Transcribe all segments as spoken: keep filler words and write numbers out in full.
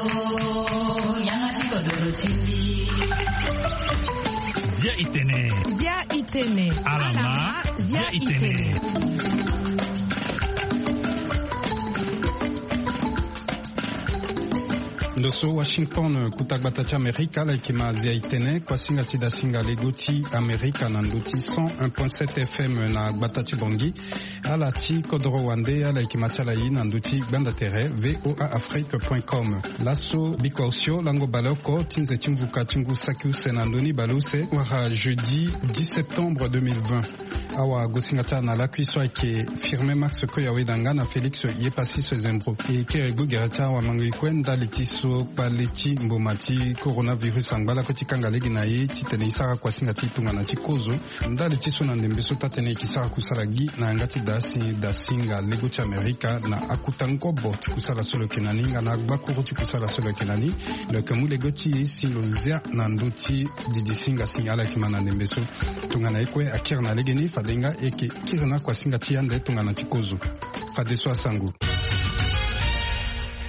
Zia itene. Zia itene. Alama, zia itene. Ndo so Washington, kuta gbata ti Amerika, ala yeke ma zia itene, kuasinga ti dasinga lego ti Amerika na ndo ti cent un point sept F M na gbata ti Bangui. Ala ti kodoro wande, ala yeke ma ti ala ye na ndo ti gbanda tere V O A Afrique point com. Laso bikua osio lango baleoko ti nze ti mvuka ti ngu saki use na ndö ni baleuse, wala jeudi dix septembre deux mille vingt. Awagosinga ti ala na lakui so ayeke Firmin Max Koyaweda nga na Félix Yepassis Zembro. E kere gbu gere ti awamangoi kue ndali ti so kpale ti mboma ti coronavirus angba lakue ti kanga lege na e titene e sara kuasinga ti e tongana ti kozo. Ndali ti so na ndembe so taa-tënë e yeke sara kusala gi na yanga ti da si dasinga lego ti Amerika na akuta ngobo ti kusala so lo yeke na ni nga na agbakuru ti kusala so lo yeke na ni. Lo yeke mu lego ti e si lo zia na ndö ti didisinga si ala yeke ma na ndembe so. Tongana e kue akiri na legeni, fade nga e yeke kiri na akuasinga ti e ande tongana ti kozo. Fadeso asango.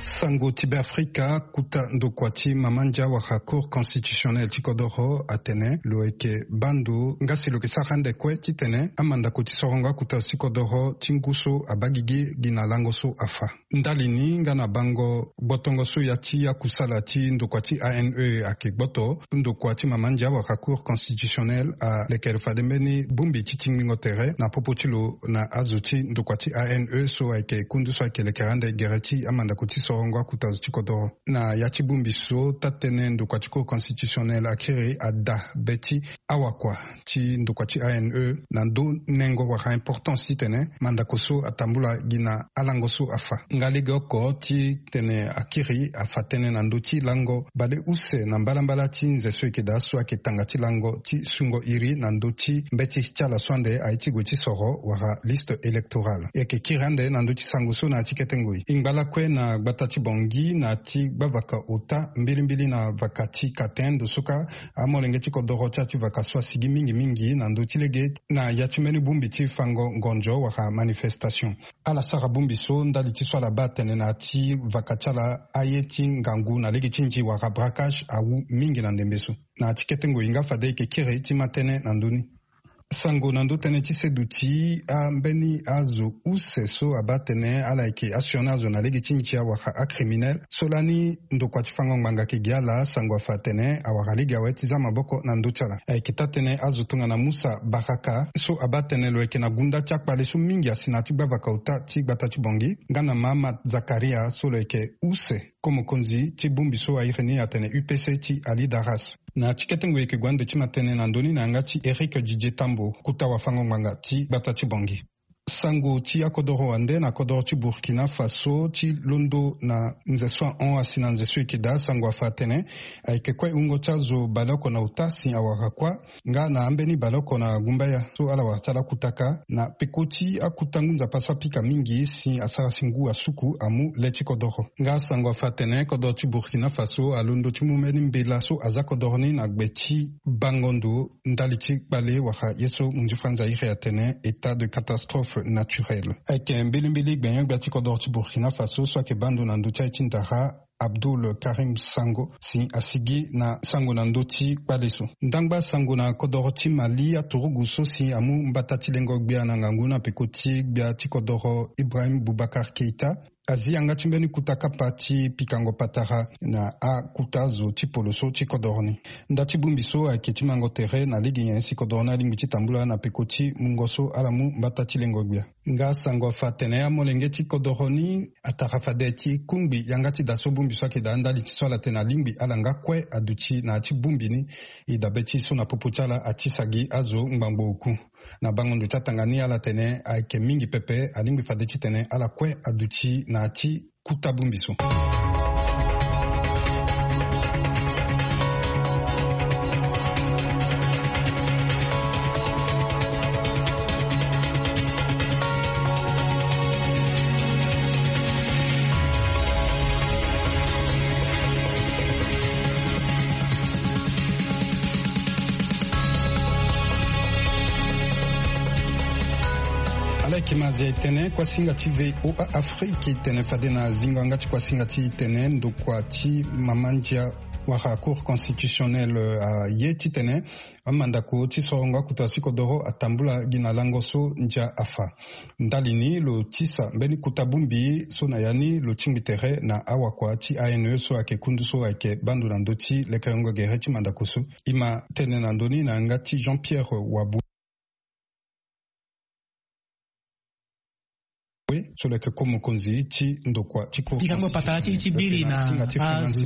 Sango ti Beafrika, kuta ndokua ti mama ndia wala Cour constitutionnelle ti kodoro atene lo yeke baa ndo nga si lo yeke sara ande kue titene amandako ti sorongo akuta ti kodoro ti ngu so abaa gigi gi na lango so afa. Ndali ni nga na bango gbotongo so ya ti akusala ti ndokua ti A N E ayeke gboto, ndokua ti mama ndia wala Cour constitutionnelle alekere fade mbeni bongbi ti tingbingo tere na popo ti lo na azo ti ndokua ti A N E so ayeke kundu so ayeke lekere ande gere ti amandako ti sorongo akuta zo ti kodoro. Na ya ti bongbi so taa-tënë ndokua ti Cour constitutionnelle akiri ada be ti awakua ti ndokua ti A N E na ndö nengo wala importance titene mandako so atambula gi na alango so afa. Nga legeoko titene akiri afa tënë na ndö ti lango baleuse na mbalambala ti nze so e yeke daa so ayeke tanga ti lango ti sungo iri na ndö ti mbeti ti ala so ande aye ti gue ti soro wala liste électorale. E yeke kiri ande na ndö ti sango so na ya ti kete ngoi. E ngba lakue na gbata ti Bangui na ya ti gbavaka ota mbilimbili na vaka ti Katen, ndo so ka amolenge ti kodoro ti ya ti vaka so asigi mingi mingi na ndö ti lege na ya ti mbeni bongbi ti fango ngonzo wala manifestation. Ala sara bongbi so ndali ti so ala baa atene na ya ti vaka ti ala aye ti ngangu na lege ti nzi wala braquage awu mingi na ndembe so. Na ya ti kete ngoi nga fade e yeke kiri ti ma tënë na ndö ni. Sango na ndö tënë ti seduti ambeni azo use so abaa atene ala yeke asioni azo na lege ti ndia wala acriminel so lani ndokua ti fango ngbanga ayeke gi ala sango afa atene awara lege awe ti za maboko na ndö ti ala. Ayeke taa-tënë azo tongana Musa Baraka so abaa atene lo yeke na gunda ti akpale so mingi asi na ya ti gbavaka ota ti gbata ti Bangui, nga na Mahamat Zakaria so lo yeke use ko mokonzi ti bongbi so airi ni atene U P C ti Ali Daras. Na ya ti kete ngoi e yeke gue ande ti ma tënë na ndö ni na yanga ti Eric Didier Tambo, kota wafango-ngbanga ti gbata ti Bangui. Sango ti akodoro wande na kodoro ti Burkina Faso ti londo na nze so ahon asi na nze so e yeke daa sango afa atene ayeke kue wungo ti azo baleoko na ota si awara kuâ, nga na ambeni baleoko na gumbaya so ala wara ti ala kutaka na peko ti akuta ngu nzapa so apika mingi si asara si ngu asuku amu le ti kodoro. Nga sango afa atene kodoro ti Burkina Faso alondo ti mu mbeni mbela so aza kodoro ni na gbe ti bango ndo ndali ti kpale wala ye so munzu franza iri atene état de catastrophe naturelle. Ayeke mbilimbili gbenyo-gbia ti kodoro ti Burkina Faso so ayeke baa ndo na ndö ti aye ti ndara Abdoul Karim Sango si asigi na sango na ndö ti kpale so. Ndangba sango na kodoro ti Mali, aturugu so si amu mbata ti lengo gbia na ngangu na peko ti gbia ti kodoro Ibrahim Boubacar Keita azi yanga ti mbeni kuta kapa ti pikango patara na akuta zo ti poloso ti kodoro ni. Nda ti bongbi so ayeke ti mango tere na lege nyen si kodoro ni alingbi ti tambula na peko ti mungo so ala mu mbata ti lengo gbia. Nga sango afa atene amolenge ti kodoro ni atara fade ti kungbi yanga ti da so bongbi so ayeke daa ndali ti so ala tene alingbi ala nga kue aduti na ya ti bongbi ni. E dabe ti so na popo ti ala atisa gi azo ngbangbo oku. Na bango ndo ti atanga ni ala tene ayeke mingi pepe, alingbi fade titene ala kue aduti na ya ti kuta bongbi so. Ala yeke Ti mazia e tene kuasinga ti V O A Afrique e tene fade na zingo yanga ti kuasinga ti e tene ndokua ti mama ndia wala Cour constitutionnelle aye titene amandako ti sorongo akuta ti kodoro atambula gi na lango so ndia afa. Ndali ni lo tisa mbeni kuta bongbi so na ya ni lo tingbi tere na awakua ti A N E so ayeke kundu so ayeke bando na ndö ti lekerengo gere ti mandako so. E ma tene na ndö ni na yanga ti Jean Pierre Wabue so lo yeke ko mokonzi ti ndokua ti Cour constitutionnelle. Ti biri na azo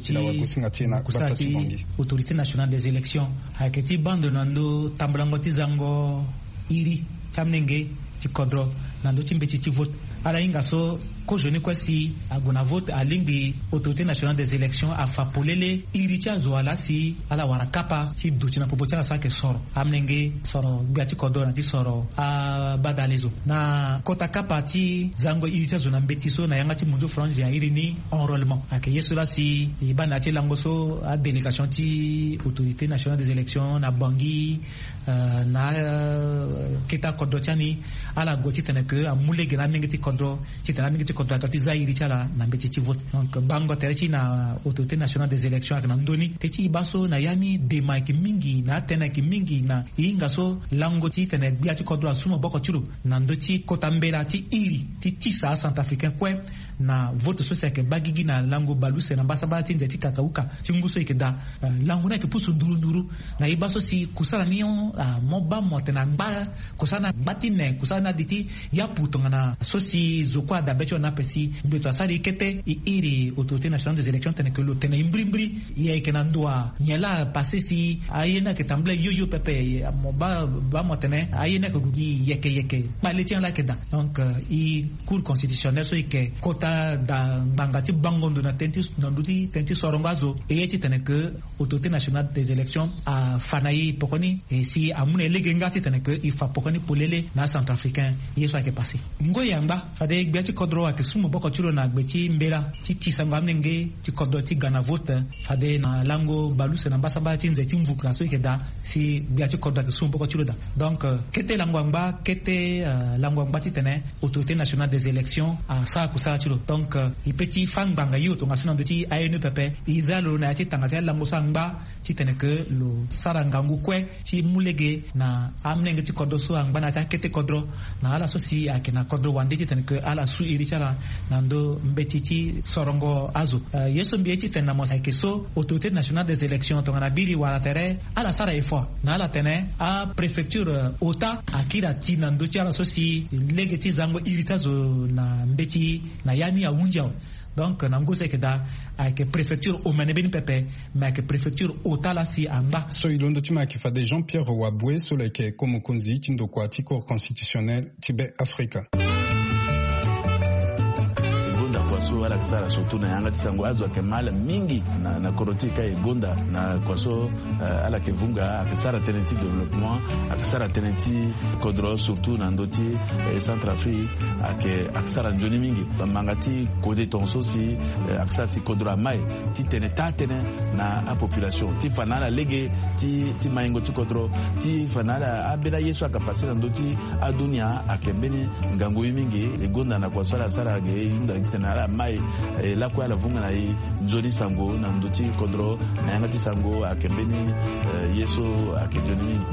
ti mokusala ti Autorité nationale des élections ayeke ti bando na ndö tambulango ti zango iri ti amolenge ti kodro na ndö ti mbeti ti vote. Ala hinga so kozo ni kue si ague na vote, alingbi Autorité nationale des élections afa polele iri ti azo ala si ala wara kapa ti duti na popo ti ala so ayeke soro amolenge, soro gbia ti kodro na ti soro abadale zo. Na kota kapa ti zango iri ti azo na mbeti so na yanga ti Mundu Frange ya iri ni, enrôlement ayeke ye so laa si e baa na ya ti lango so adélégation ti Autorité nationale des élections na Bangui, euh, na, euh, kete akodro ti ani, ala gue titene ke amu lege na amenge ti kodro titene amenge ti kodro aga ti za iri ti ala na mbeti ti vote. Donc bango tere ti na Autorité nationale des élections ayeke na ndö ni. Te ti e baa so na ya ni dema ayeke mingi, na atënë ayeke mingi, na e hinga so lango titene gbia ti kodro asu maboko ti lo na ndö ti kota mbela ti iri ti tisa acentrafricain kue na vote so si ayeke baa gigi na lango baleuse na mbasambala ti nze ti kakauka ti ngu so e yeke daa. Euh, lango ni ayeke pusu nduru nduru. Na e baa so si kusala ni, ah, mo baa mo tene angba, kusala ni angba ti ne, kusala ni adi ti yapu tongana so si zo kue ada be ti lo ni ape si ngbeto asara e kete e iri Autorité nationale des élections tene ke lo tene e mbirimbiri. E ayeke na ndo wa nyen laa apasse si aye ni ayeke tambula e yo yo pepe, mo baa, baa mo tene aye ni ayeke gue gi yeke yeke kpale ti ala ayeke daa. Donc, euh, e Cour constitutionnelle so e yeke kota daa ngbanga ti bango ndo na tënë ti, na ndö ti tënë ti sorongo azo, e ye titene ke Autorité nationale des élections afa na e poko ni, e si amu na e lege nga titene ke e fa poko ni polele na acentrafricain ye so ayeke passe. Ngoi angba fade gbia ti kodro ayeke su maboko ti lo na gbe ti mbela ti tisango amolenge ti kodro ti ga na vote fade na lango baleuse na mbasambala ti nze ti mvuka so e yeke daa, si gbia ti kodro ayeke su maboko ti lo daa. Donc, euh, kete lango angba, kete, euh, lango angba titene Autorité nationale des élections asara kusala ti lo. Donc, euh, e pe ti fâ ngbanga hio tongaso na ndö ti A N E pepe. E za lo na ya ti tanga ti alango so angba titene ke lo sara ngangu kue ti mu lege na amolenge ti kodro so angba na ya ti akete kodro, na ala so si ayeke na kodro wande titene ke ala su iri ti ala na ndö mbeti ti sorongo azo. Euh, ye so mbi ye titene na mo ayeke so Autorité nationale des élections tongana biri wala tere ala sara effort na ala tene apréfecture, euh, ota akiri ati na ndö ti ala so si lege ti zango iri ti azo na mbeti na ya ni ahunzi awe. Donc na ngu so ayeke daa, ayeke préfecture omene mbeni pepe, me ayeke préfecture ota laa si angba. So e londo ti mo ayeke fade Jean Pierre Waboué so lo yeke ko mokonzi ti ndokua ti Cour constitutionnelle ti Be Afrika. E gonda kua so ala yeke sara surtout na yanga ti sango azo ayeke mal mingi na, na kodro ti e ka e gonda na kua so, eh, ala yeke vunga, ayeke sara tënë ti développement, ayeke sara tënë ti kodro surtout na ndö ti, eh, Centrafrique, ayeke, ayeke sara nzoni mingi. Manga ti kode tongaso si, eh, ayeke sara si kodro amai titene taa tënë na apopulation ti fa na ala lege ti, ti maingo ti kodro, ti fa na ala ambeni aye so ayeke passe na ndö ti adunia ayeke mbeni ngangu ye mingi. E gonda na kua so ala sara ge e hunda titene ala mai, eh, lakue ala vunga na e nzoni sango na ndö ti kodro na yanga ti sango ayeke mbeni, eh, ye so ayeke nzoni mingi.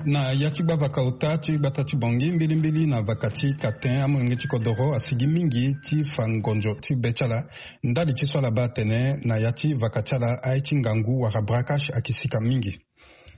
Na ya ti gbavaka ota ti gbata ti Bangui mbilimbili na vaka ti Katin, amolenge ti kodoro asigi mingi ti fa ngonzo ti be ti ala ndali ti so ala baa atene na ya ti vaka ti ala aye ti ngangu wala braquage ayeke sika mingi.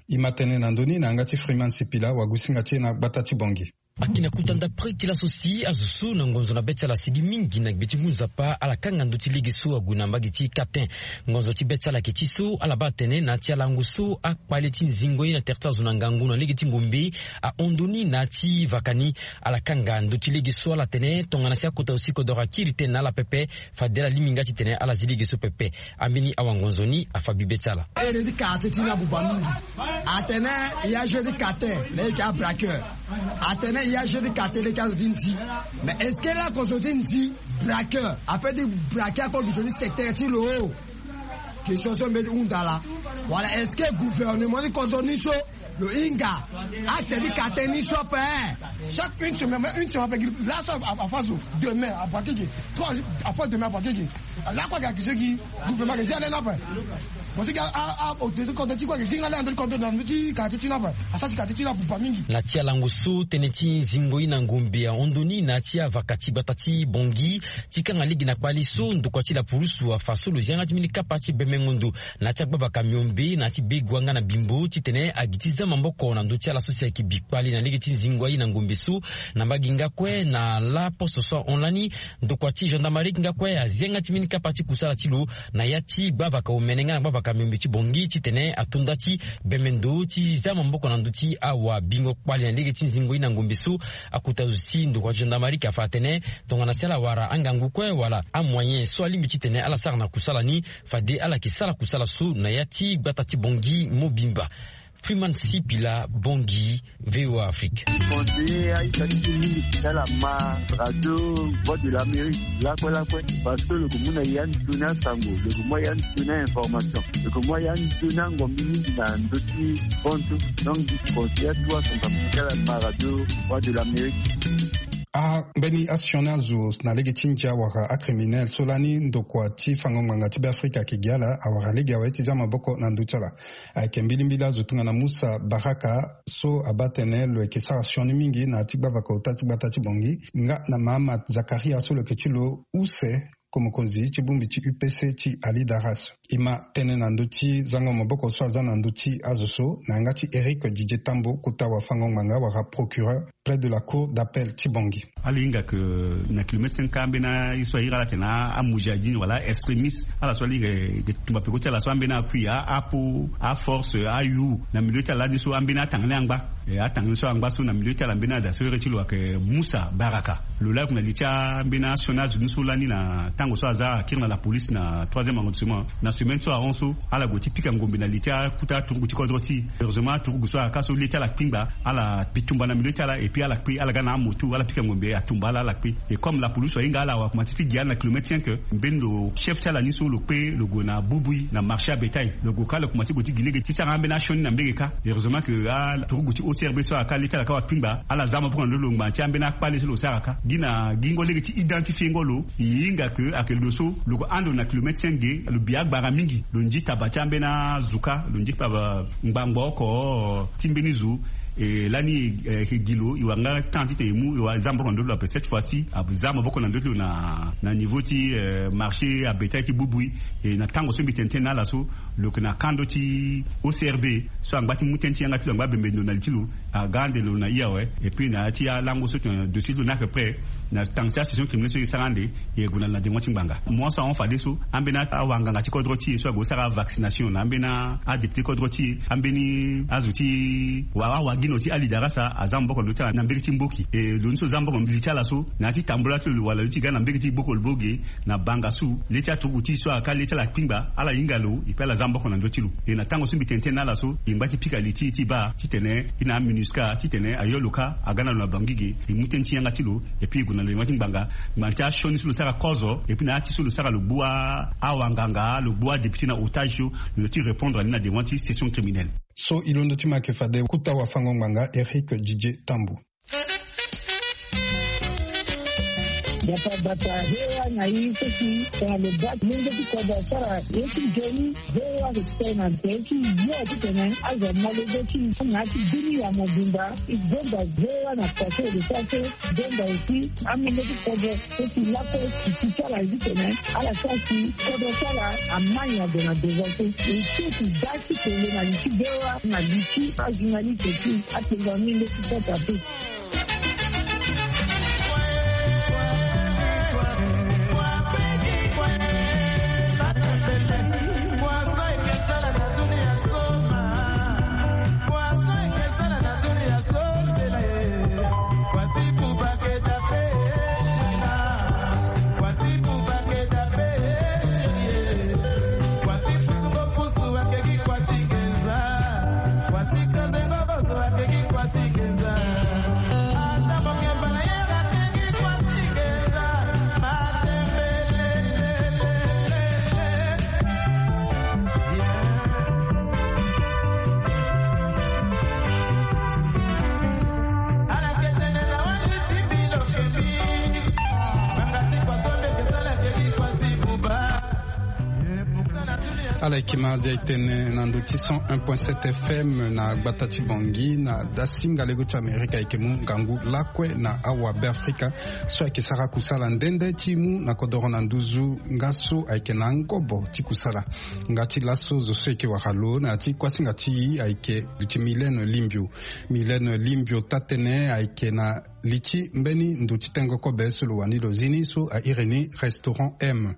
E ma tene na ndö ni na yanga ti Freeman Sipila, wagusinga ti e na gbata ti Bangui. Ayeke na kota ndapre ti laso si azo so na ngonzo na be ti ala asigi mingi na gbe ti ngu nzapa ala kanga ndö ti lege so ague na mbage ti Katin. Ngonzo ti be ti ala ayeke ti so ala baa atene na ya ti alango so akpale ti nzingo ye na tere ti azo na ngangu na lege ti ngombe ahon ndö ni na ya ti vaka ni. Ala kanga ndö ti lege so ala tene tongana si akota aussi kodoro akiri tënë na ala pepe, fade ala lingbi nga titene ala zi lege so pepe. Ambeni awango-nzoni afa bibe ti ala. Ere ti quartier ti ni abuba mingi. Atene e a jeu ti Katin na e yeke abraqueur. Atene Ya jeu ti kate leke azo ti ndi. Mais est-ce que la kozo ti ndi braqueur après ti braquer ako gi zo ti secteur ti lo? Question so mbi ti hunda laa. Wala est-ce que gouvernement ti kodro ni so lo hinga ate ti kate ni so ape? Chaque une semaine, une semaine ape gi laso afa zo. Demain abraquer gi trois, après demain abraquer gi. Lakue ayeke accusé gi gouvernement ayeke zi ale ni ape. Mo si gi a a a autorité ti kodro ti kue ayeke zi nga le ando ti kodro na ndö ti quartier ti ni ape. Asara ti quartier ti ni abuba mingi. Na ti alango so tënë ti zingo ye na ngombe ahon ndo ni na ya ti avaka ti gbata ti Bangui. Ti kanga lege na kpale so ndokua ti lapurusu afa so lo zi yanga ti mbeni kapa ti bemengo ndo na ya ti agbavaka miombe na ya ti begua nga na bimbo titene agi ti za maboko na ndö ti ala so si ayeke bi kpale na lege ti zingo aye na ngombe so. Na mbage nga kue na laposo so ahon lani, ndokua ti gendarmerie nga kue azi yanga ti mbeni kapa ti kusala ti lo na ya ti gbavaka omene nga na gbavaka miombe ti Bangui titene ato nda ti bembe ndo ti za maboko na ndö ti awabingo kpale na lege ti zingo ye na ngombe so. Akota zo ti ndokua ti gendarmerie afa atene tongana si ala wara angangu kue wala amoyen so alingbi titene ala sara na kusala ni, fade ala yeke sara kusala so na ya ti gbata ti Bangui mobimba. Freeman Sipila, Bangui, V O A Afrique. Conseiller aita ti ti mingi ti ala ma radio Voix de l'Amérique lakue lakue, parce que lo yeke mu na ya nzoni asango, lo yeke mu ya nzoni ainformation, lo yeke mu ya nzoni angombi mingi na ndö ti hon so. Donc conseiller atu asango ti ala ma radio Voix de l'Amérique. Ambeni asioni azo na lege ti ndia wala acriminel so lani ndokua ti fango ngbanga ti Beafrika ayeke gi ala awara lege awe ti za maboko na ndö ti ala. Ayeke mbilimbili azo tongana Musa Baraka so abaa atene lo yeke sara sioni mingi na ya ti gbavaka ota ti gbata ti Bangui nga na Mahamat Zakaria so lo yeke ti lo use ko mokonzi ti bongbi ti U P C ti Ali Daras. E ma tënë na ndö ti zango maboko so aza na ndö ti azo so na yanga ti Eric Didier Tambo, kota wafango ngbanga wala procureur près de la cour d'appel ti Bangui. Ala hinga ke na kilomètre cinq ambeni aye so ahiri ala atene amujahidine wala aextrémiste, ala so ala hinga ke tumba peko ti ala so ambeni akui, apo, aforce, ayu na milieu ti ala lani so ambeni atanga ni angba. E atanga ni so angba so na milieu ti ala mbeni ada so iri ti lo ayeke Musa Baraka. Lo laa ayeke na li ti ambeni asioni azo ni so lani na tango so aza akiri na lapolice na troisième arrondissement na semaine so ahon so. Ala gue ti pika ngombe na li ti akuta aturugu ti kodro ti e. Heureusement aturugu so ayaka so le ti ala kpingba, ala bi tumba na milieu ti ala et puis ala kpe, ala ga na amoto, ala pika ngombe atumba ala, ala kpe. Et comme lapolice ahinga ala awa, akomanse ti gi ala na kilomètre cinq. Mbeni lo chef ti ala ni so lo kpe, lo gue na bubui na marché abetail, lo gue ka lo komanse gue ti gi lege ti sara ambeni asioni na mbege kâ. Heureusement ke aturugu ti O C R B so ayaka le ti ala ka wa kpingba, ala za maboko na ndö ti lo ngbanga ti ambeni akpale so lo sara kâ. Gi na gingo lege ti identifier ngo lo, e hinga ke ayeke lo so lo gue hando na kilomètre cinq ge, lo bi agbara mingi, lo nzi taba ti ambeni azo kâ, lo nzi taba ngbangbo oko ti mbeni zo. E lani e yeke gi lo, e wara nga temps titene e mu, e wara za maboko na ndö ti lo ape. Cette fois ci aza maboko na ndö ti lo na niveau ti marché abetail ti bubui. E na tango so mbi tene tënë na ala so, lo yeke na kando ti O C R B so angba ti mu tënë ti yanga ti lo, angba bembe ndo na li ti lo. Aga ande lo na i awe. Et puis na ya ti alango so tongana dossier ti lo ni ayeke prêt, na tanga ti asession criminelle so e sara ande, e gue na lo na dengo ti ngbanga. Mo so ahon fadeso, ambeni awanganga ti kodro ti e so ague sara avaccination na ambeni adéputé kodro ti e, ambeni azo ti wa awagino ti Ali Darasa aza maboko na ndö ti ala na mbege ti mboki. E lo ni so za maboko na li ti ala so, na ya ti tambula ti lo lo wala lo ti ga na mbege ti gboko lo bo ge na banga su, le ti aturugu ti e so ayaka le ti ala kpingba, ala hinga lo et puis ala za maboko na ndö ti lo. E na tango so mbi tene tënë na ala so, e ngba ti pika li ti e ti baa titene e na aMINUSCA titene ayo lo kâ aga na lo na Bangui ge, e mu tënë ti yanga ti lo. Et puis e gue na lo na dengo ti ngbanga, ngbanga ti asioni so lo sara kozo et puis na ya ti so lo sara lo gbu awanganga, lo gbu adéputé na otage so, lo ti répondre na ni na dengo ti session criminelle. So e londo ti ma ayeke fade kota wafango ngbanga Eric Didier Tambo. Gbata gbata, V O A na e so si tongana lo baa lenge ti kodro asara ye ti nzoni, V O A ayeke tene na nze ti yo titene azo amolenge ti na ya ti bini ya mobimba. E gonda V O A na pase de sase, gonda aussi amolenge ti kodro so si lakue ti ti ti ala ye titene ala sara si kodro ti ala ama nyango na devant so. E so ti da ti tene na li ti V O A na li ti ajournaliste ti atengo amolenge ti kodro ape. Ala yeke ma azia etene na ndo ti cent un point sept F M na gbata ti Bangui na dasinga lego ti Amerika ayeke mu ngangu lakue na awa Beafrika so ayeke sara kusala nde nde ti mu na kodoro na nduzu nga so ayeke na ngobo ti kusala. Nga ti laso zo so eke wara lo na ya ti kuasinga ti e ayeke duti Mylène Limbio. Mylène Limbio taa-tënë ayeke na li ti mbeni ndo ti tengo kobe so lo wani lo zi ni so a iri ni restaurant M.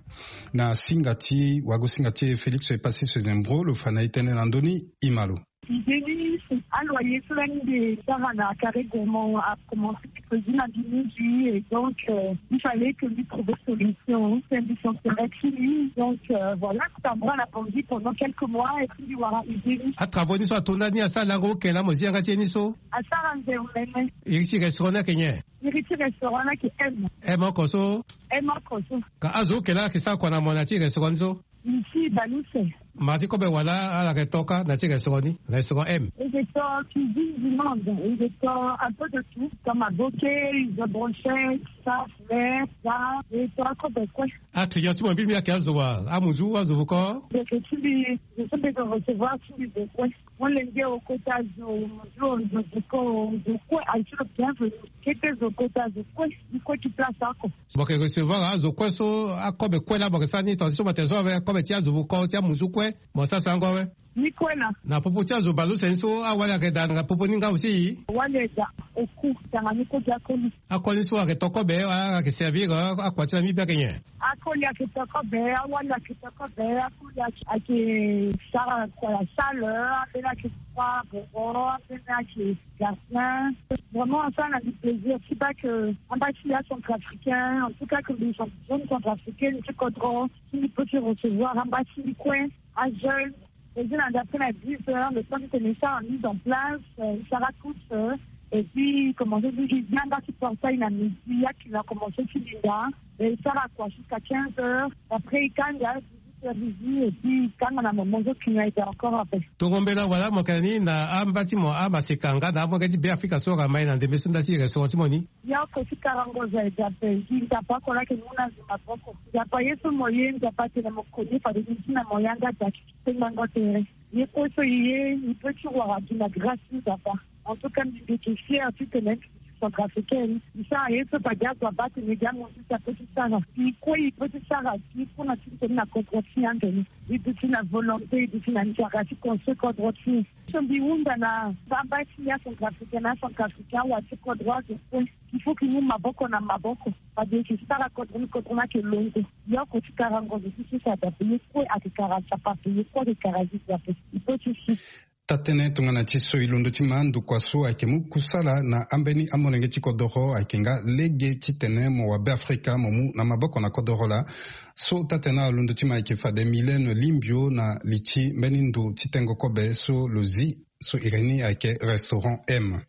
Na singa ti wagosinga ti e Félix Epassis Sezembro lo fa na e tënë na ndö ni. Ima lo. Idée ni, c'est aloyer so lani mbi sara na Carré Gourmand a commencé ti président du midi et donc euh, il fallait que lui trouve solution. C'est un bi son serait fini. Donc euh, voilà, ça me la pendant quelques mois et puis voilà, idée ni. Atravo ni so atonda ni asara lango oke la mo zi yanga ti e ni so. Asara nze omene. Iri ti restaurant ni ayeke nyen? Iri ti restaurant ni ayeke M. M oko so. M oko so. Ka azo oke la ayeke sara kua na mo na ti restaurant ni so? Ici Baluse. Mara ti kobe wala ala yeke to kâ na ti restaurant ni, restaurant M? Ils étaient cuisine du monde, ils étaient un peu de tout, comme à bokeh, ils ont brochette, ça, fleur, ça, et toi, kobe kue. Aclient ti mo mbili mbi ayeke azo wa, amuzu, azo vukon? Ndeke ti mbi, je suis de recevoir ti mbi de kue. Molenge okota zo, zo, zo, zo ko, zo kue, aye ti lo bienvenu. Kete zo kota zo kue, i kue ti place oko. Mo yeke recevoir azo kue so, akobe kue la mo yeke sara ni tonga ti so mo yeke zo awe, kobe ti azo vukon ti amuzu kue, mo sara sango awe? Ni kue na. Na popo ti azo baleuse ni so, awali ayeke daa na popo ni nga aussi? Awali ayeke daa oku, tanga ni kue ti akoli. Akoli so ayeke to kobe, ala yeke servir, eh, akua ti la mbi mbi ayeke nyen? Akoli ayeke to kobe, awali ayeke to kobe, akoli ayeke, ayeke sara kua ya sale, ambeni ayeke kua boro, ambeni ayeke gardien. Vraiment, asara na mbi plaisir ti baa que amba ti ya centrafricain, en tout cas que mbi jeune centrafricaine ti kodro, si mbi peut ti recevoir amba ti mbi kue, ajeune. Et puis, na d'après na dix heures, le temps que nous sommes mis en place, euh, il sera tous, euh, et puis, commencer à dire, il vient dans ce portail, la midi, il y a qui va commencer à dire, et il sera quoi, jusqu'à quinze heures. Après, il gagne, il y a dix-huit heures, et puis, quand on a mon manteau qui a été encore après. Tongo mbela wala mo yeke na ni na amba ti mo amaseka nga na amolenge ti Beafrika so ayeke ma e na ndembe so nda ti restaurant ti mo ni? Yoko ti karango za e dape, gi nzapa oko lake muna zo maboko. Nzapa ye so mo ye, nzapa atene mo koni fade ni ti na mo yanga daki. Tengbango tere. Ye kue so i ye, i peut ti wara gi na grâce ti Nzapa. En tout cas, mbi mbi yeke fier ti tene mbi centrafricaine. Mbi sara ye so fade azo abaa tene gi amonzo ti apeut ti sara. I kue i peut ti sara gi kue na ti tene na kodro ti e ande ni. I duti na volonté, i duti na nzara ti construire kodro ti e. So mbi hunda na baba ti ya centrafricaine na centrafricain awa ti kodro azo kue. Il faut que i mu maboko na maboko. Fade e yeke sara kodro ni, kodro ni ayeke longo. Yoko ti karango zo ti so si adape ye kue ayeke kara nzapa ape, ye kue ayeke kara gi nzapa ape. I peut ti si. Taa-tënë tongana ti so e londo ti ma ndokua so ayeke mu kusala na ambeni amolenge ti kodoro ayeke nga lege titene mo wa Beafrika mo mu na maboko na kodoro laa. So taa-tënë alondo ti ma ayeke fade Mylène Limbio na li ti mbeni ndo ti tengo kobe so lo zi so iri ni ayeke restaurant M.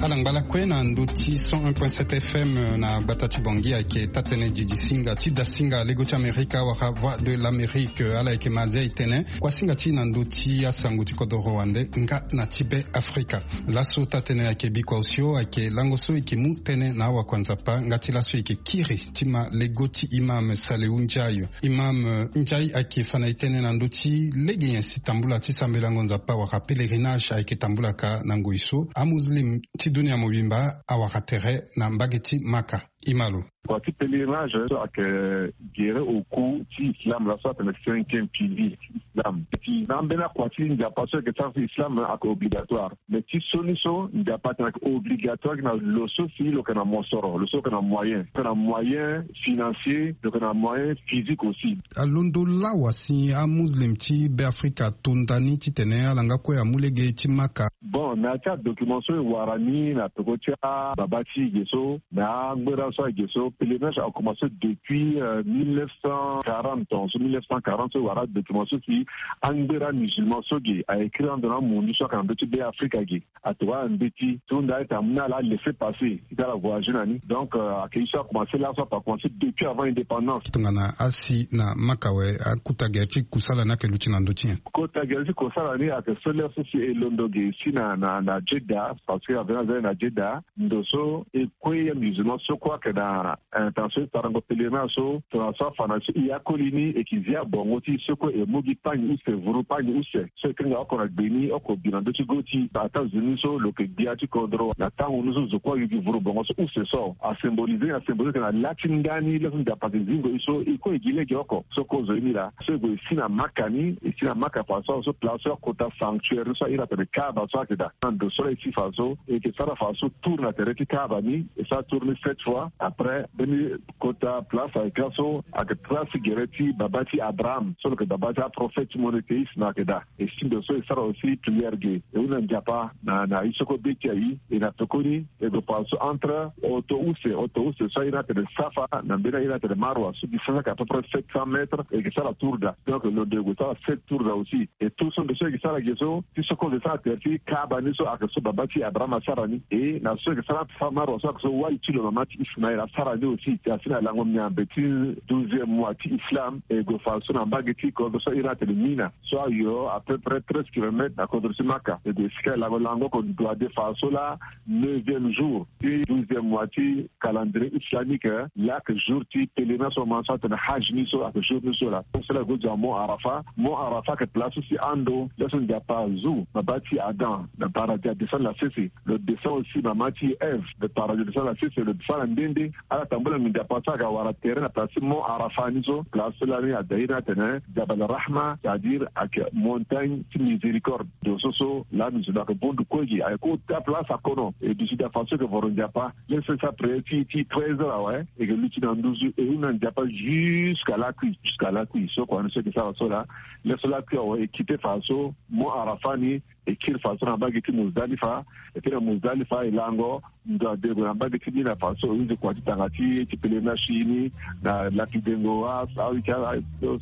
Ala ngba lakue na ndö ti cent un point sept F M na gbata ti Bangui ayeke taa-tënë didi singa ti dasinga lego ti Amerika wala Voix de l'Amérique. Ala yeke ma azia e tene kuasinga ti e na ndö ti asango ti kodoro wande nga na ti Be Afrika. Laso taa-tënë ayeke bikua osio ayeke lango so e yeke mu tënë na awakua Nzapa nga ti laso e yeke kiri ti ma lego ti imam Salehu Ndiaye. Imam, eh, Ndiaye ayeke fa na e tënë na ndö ti lege nyen si tambula ti sambelango Nzapa wala pèlerinage ayeke tambula ka na ngoi so amuslim ti dunia mobimba awara tere na mbage ti Maka. Ima lo. Kua ti pèlerinage so ayeke gere oku ti islam, laso atene cinquième pilier ti islam. Ti na ambeni akua ti Nzapa so ayeke sara ti islam ayeke obligatoire. Mais ti so ni so Nzapa atene ayeke obligatoire na lo so si lo yeke na mosoro, lo so lo yeke na moyen, lo yeke na moyen financier, lo yeke na moyen physique aussi. Alondo lawa si amuslim ti Beafrika ato nda ni titene ala nga kue amu lege ti Maka. Bon, na ya ti adocument so e wara ni na peko ti ababa ti e ge so, na angbera so age so, pèlerinage a commencé depuis mille neuf cent quarante, en so mille neuf cent quarante so e wara adocument so si angbera musulman so ge a écrit ando na amundu so ayeke na ndö ti be afrika ge. Atongana mbeti so nda ete amu na ala laisser passer ti ala voyager na ni. Donc ayeke ye so akomanse laso ape akomanse depuis avant indépendance. Tongana asi na maka awe, akota gere ti kusala ni ayeke luti na ndö ti nyen? Kota gere ti kusala ni ayeke so lere so si e londo ge si na na na jeddah, parce que avena aza ye na jeddah. Ndo so e kue ya musulman so kue ayeke na intention ti sarango pèlerinage so, tongana so afa na so e akoli ni e yeke zi abongo ti e so kue e mu gi pagne use, vuru pagne use so e kanga oko na gbe ni oko bi na ndö ti go ti e. Ataa zo ni so lo yeke gbia ti kodro na tango ni so zo kue ayu gi vuru bongo so use so asymbolize ni, asymbolize na la ti ndani laso Nzapa ayeke zingo e so e kue e gi lege oko so kozo ye ni laa. So e gue e si na maka ni, e si na maka fa so so place so akota sanctuaire ni so a iri atene kaaba so ayeke daa na ndo so laa e si fa so e yeke sara fa so tour na tere ti kaaba ni. E sara tour ni sept fois. Après mbeni kota place ayeke laso ayeke place gere ti baba ti abraham so lo yeke baba ti aprophète monothéiste na ayeke daa. E si ndo so e sara aussi prière ge e hunda Nzapa na na ye so kue be ti aye. E na pekoni e gue fa so entre oto use, oto use so a iri atene safa na mbeni a iri atene marwa so distance ayeke à peu près sept cents mètres. E yeke sara tour daa. Donc lo ndo e gue sara sept tour daa aussi. E tour so ndo so e yeke sara ge so ti so kue lo sara tere ti kaaba ni so ayeke so baba ti abraham asara ni. E na so e yeke sara safa marwa so ayeke so wali ti lo mama ti ismaël asara ni aussi. Asi na lango miambe ti douzième mois ti islam e gue fa so na mbage ti kodro so a iri atene mina so ayo à peu près treize kilomètres na kodro ti maka. E gue esika e lango lango oko ndo ade fa so laa neuvième jour ti douzième mois ti calendrier islamique. Laa ayeke jour ti pèlerinage so ma so atene haj ni so ayeke jour ni so laa. So laa e gue zo na mont arafa. Mont arafa ayeke place so si ando laso Nzapa azu baba ti adam na paradis adescend na sese. Lo descend aussi mama ti eve na paradis adescend na sese lo descend na nde nde. Ala tambula mingi Nzapa so ayeke awara tere na place ti mont arafa ni so place so lani ada iri atene jabal rahma, c'est à dire ayeke montagne ti miséricorde. Ndo so so lani zo na ayeke bondu kue gi ayeke ota place akono e duti daa fa so e yeke voro Nzapa. Laisse sa prière ti ti treize heures awe e yeke luti na nduzu e hunda Nzapa jusqu'à lakui, jusqu'à lakui so kua ni so e yeke sara so laa. Laisse lakui awe e kite fa so mont arafa ni e kiri fa so na mbage ti muzdalifa. E kiri na muzdalifa e lango ndo ade e gue na mbage ti ni na fa so e hunzi kua ti tanga ti ti pèlerinage ti e ni na lapi dengo wa awe ti ala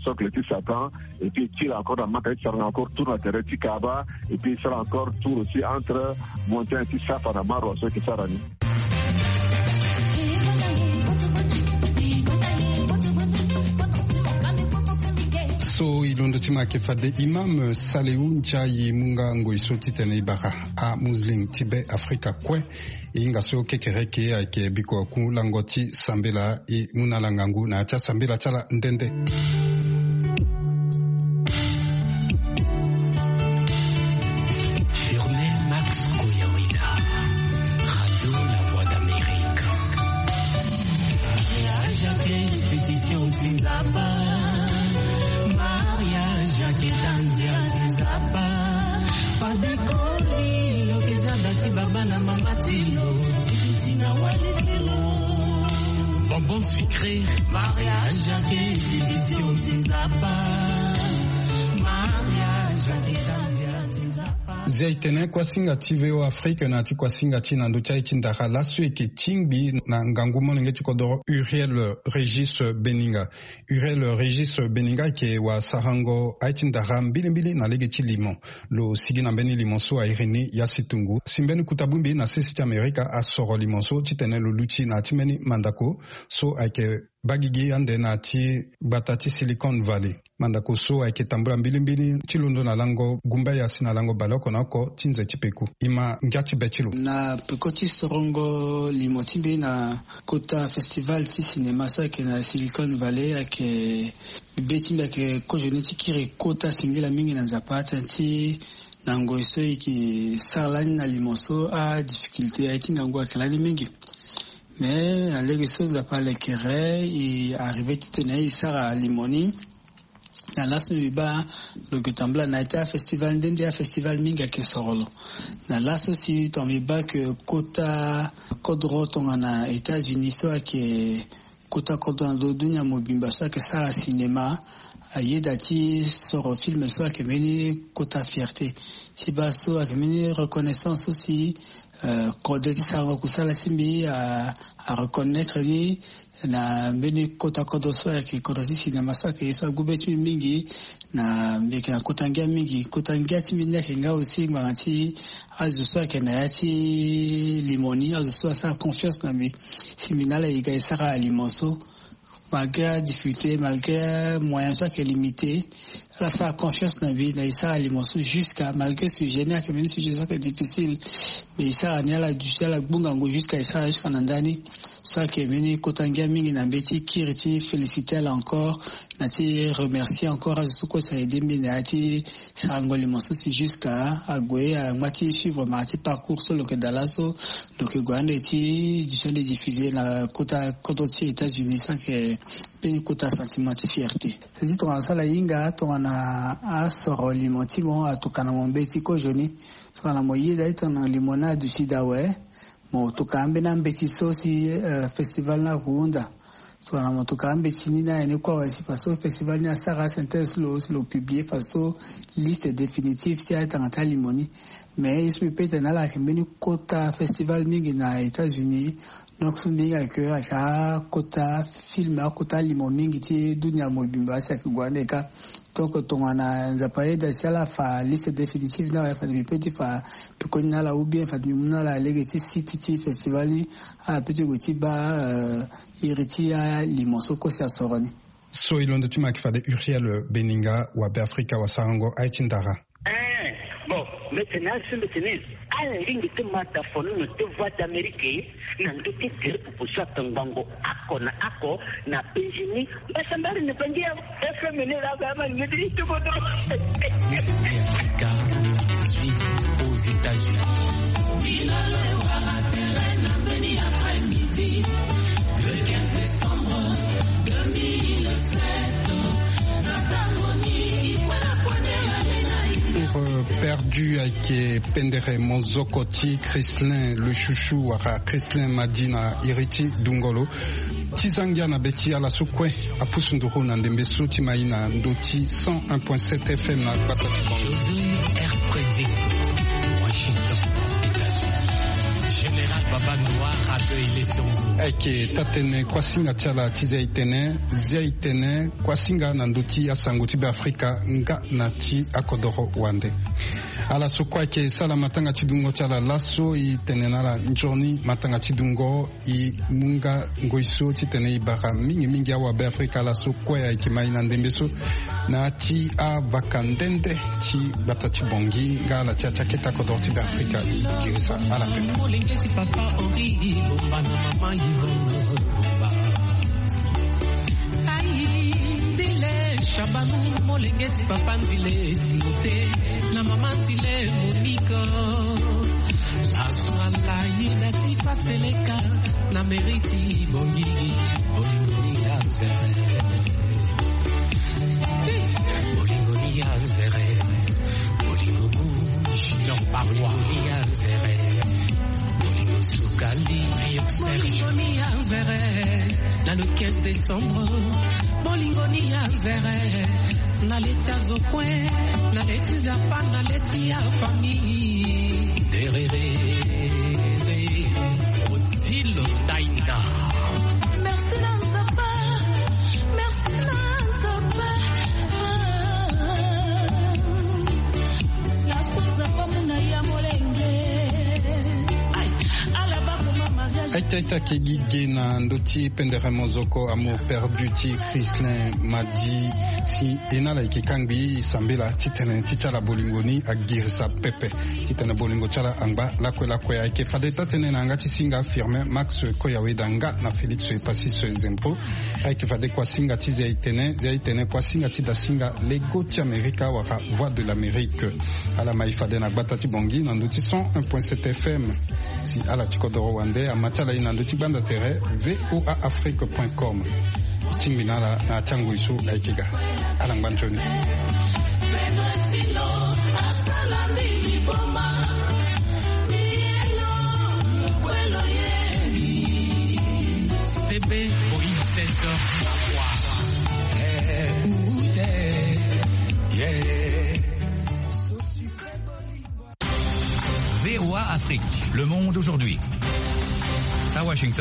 sokle ti satan. Et puis e kiri encore na maka ti sarango encore tour na tere ti kaaba. Et puis e sara encore tour aussi entre montagne ti safa na marwa so e yeke sara ni. So e londo ti ma ayeke fade imam salehu ndia e mu nga ngoi so titene e bara amuslim ti be afrika kue. E hinga so kekereke ayeke biko aku lango ti sambela e mu na ala ngangu na ya ti asambela ti ala nde nde. Firme Max Koyaweda, Radio La Voix d'Amérique. Mariage ayeke institution ti Nzapa. Mariage ayeke tanzia ti Nzapa. Fade koli lo yeke za da ti baba na mama ti lo ti biti na wali ti lo. Bonbon sucré. Mariage ayeke institution ti Nzapa. Mariage ayeke tanzia ti Nzapa. Zia e tene kuasinga ti V O Afrique na ya ti kuasinga ti e na ndö ti aye ti ndara laso e yeke tingbi na ngangu molenge ti kodoro Uriel Régis Beninga. Uriel Régis Beninga ayeke wasarango aye ti ndara mbilimbili na lege ti limo. Lo sigi na mbeni limo so a iri ni ya situngu si mbeni kota bongbi na sese ti Amerika asoro limo so titene lo luti na ya ti mbeni mandako so ayeke baa gigi ande na ya ti gbata ti Silicon Valley. Mandako so ayeke tambula mbilimbili ti londo na lango gumbaya si na lango baleoko na oko ti nze ti peko. E ma ngia ti be ti lo. Na peko ti sorongo limo ti mbi na kota festival ti cinéma so ayeke na Silicon Valley ayeke be ti mbi ayeke kozoni ti kiri kota singila mingi na Nzapa tënë ti na ngoi so e yeke sara lani na limo so adifficulté aye ti ngangu ayeke lani mingi. Mais na lege so Nzapa alekere e arrivé titene e sara limo ni. Na laso mbi baa lo yeke tambula na ya ti afestival nde nde afestival mingi ayeke soro lo. Na laso si tongana mbi baa ke kota kodro tongana États-Unis so ayeke kota kodro na ndo dunia mobimba so ayeke sara cinéma. ayeda ti soro film so ayeke mbeni kota fierté ti baa so ayeke mbeni reconnaissance so si kode ti sarango kusala ti mbi areconnaitre ni na mbeni kota kodro so ayeke kodro ti cinéma so ayeke ye so agu be ti mbi mingi. Na mbi yeke na kota ngia mingi, kota ngia ti mbi ni ayeke nga aussi ngbanga ti azo so ayeke na ya ti limo ni, azo so asara confiance na mbi si mbi na ala e ga e sara alimo so. Malgré adifficulté, malgré moyen so ayeke limité, ala sara confiance na mbi na e sara alimo so jusqu'à, malgré sujet ni ayeke mbeni sujet so ayeke difficile, mais e sara ni ala duti ala gbu ngangu jusqu'à e sara jusqu'à na ndani. So ayeke mbeni kota ngia mingi na mbi ti kiri ti féliciter ala encore, na ti remercier encore azo so kue si aide mbi na ya ti sarango limo so si jusqu'à ague angba ti suivre mara ti parcours so lo yeke daa laso. Donc e gue ande ti duti ande diffusé na kota kodro ti États-Unis, so ayeke mbeni kota sentiment ti fierté. C'est-à-dire tongana so ala hinga tongana asoro limo ti mo, atokua na mo mbeti kozoni, tongana mo yeda ti tongana limo ni aduti daa awe, mo tokua ambeni ambeti so si festival ni ahunda. Tongana mo tokua ambeti ni na aye ni kue awe si faso festival ni asara asynthèse lo si lo publie faso liste définitive ti atanga ti alimo ni. Mais ye so mbi pe tene na ala ayeke mbeni kota festival mingi na États-Unis. Donc so mbi hinga ke ayeke akota film, akota limo mingi ti dunia mobimba si ayeke gue ande kâ. Donc tongana Nzapa ayeda si ala fa liste définitive ni awe, fade mbi pe ti fa pekoni na ala ou bien fade mbi mu na ala lege ti site ti festival ni, ala pe ti gue ti baa iri ti alimo so kue si asoro ni. So e londo ti mo ayeke fade Uriel Beninga wa Beafrika, wasarango aye ti ndara. Eh, bon, mbi tene asi mbi tene ala lingbi ti ma dafono na te Voix d'Amérique na ndö ti gere pupu so atongbango oko na oko na penzi ni. Mbasambari na bangi ya F M ni la ba ma ngedi to ko do. Miss America, aux États-Unis. Pour, euh, Perdu ayeke pendere mozoko ti Chrislin le Chouchou wala Chrislin Madi na iri ti dungolo. Ti za ngia na be ti ala so kue apusu nduru na ndembe so ti mai na ndö ti cent un point sept F M na gbata ti Kongo. José R Predi, Washington, États-Unis. Général Baba Noir accueille les secours. Ayeke taa-tënë kuasinga ti ala ti zia e tene, zia e tene kuasinga na ndö ti asango ti Beafrika nga na ti akodoro wande. Ala so kue ayeke sara matanga ti dungo ti ala laso, e tene na ala nzoni matanga ti dungo. E mu nga ngoi so titene e bara mingi mingi awa Beafrika ala so kue ayeke mai na ndembe so na ya ti avaka nde nde ti gbata ti Bangui nga ala ti ya ti akete akodoro ti Beafrika. E girisa ala pepe. Molenge ti papa Henri Ilomba na mama Yvonne Ilomba. Ai, Ndile Shabanu, molenge ti papa Ndile Timothée na mama Ndile Monica. Laso ala yeda ti fa seleka na mairie ti Bangui, bolingo ni ya nzere. Bolingo ni ya nzere. Bolingo bouge, non, parois. Bolingo ni ya nzere. Bolingo sukali, bolingo ni ya nzere. Na le quinze décembre, bolingo ni ya nzere. Na leti azo kue, na leti nzapa, na leti ya famille. Derere, Odile Daina. Merci na nzapa, merci na nzapa. Ah. Laso nzapa muna ya molenge. Ai, ala bako ma mariage. Aita aita ke gi ge na ndö ti pendere mozoko Amour perdu ti Chrislin Madi. Si e na ala yeke kangbi sambela titene ti ti ala bolingo ni agirisa pepe. Titene bolingo ti ala angba lakue lakue. Ayeke fade taa-tënë na yanga ti singa Firmin Max Koyaweda nga na Félix Epasis Zempro. Ayeke fade kuasinga ti zia e tene, zia e tene kuasinga ti dasinga Lego ti Amerika wala Voix de l'Amérique. Ala mai fade na gbata ti Bangui na ndö ti cent un point sept F M. Si ala ti kodoro wande ama ti ala e na ndö ti gbanda tere V O A Afrique point com. E tingbi na ala na ya ti angoi so ayeke ga. Ala ngba nzoni. C B Moïse César. Le monde aujourd'hui. À Washington.